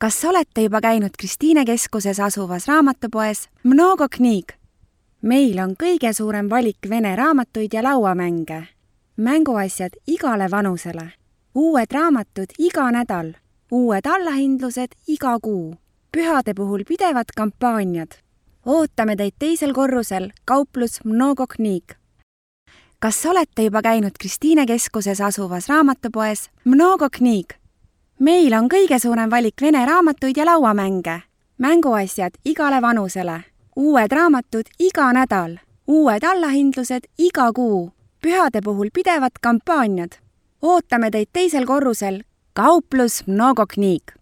Kas olete juba käinud Kristiine keskuses asuvas raamatupoes Mnogo Kniig? Meil on kõige suurem valik vene raamatuid ja lauamänge. Mänguasjad igale vanusele. Uued raamatud iga nädal. Uued allahindlused iga kuu. Pühade puhul pidevad kampaaniad. Ootame teid teisel korrusel kauplus Mnogo Kniig. Kas olete juba käinud Kristiine keskuses asuvas raamatupoes Mnogo Kniig? Meil on kõige suurem valik vene raamatuid ja lauamänge. Mänguasjad igale vanusele. Uued raamatud iga nädal. Uued allahindlused iga kuu. Pühade puhul pidevad kampaaniad. Ootame teid teisel korrusel kauplus Mnogo Kniig.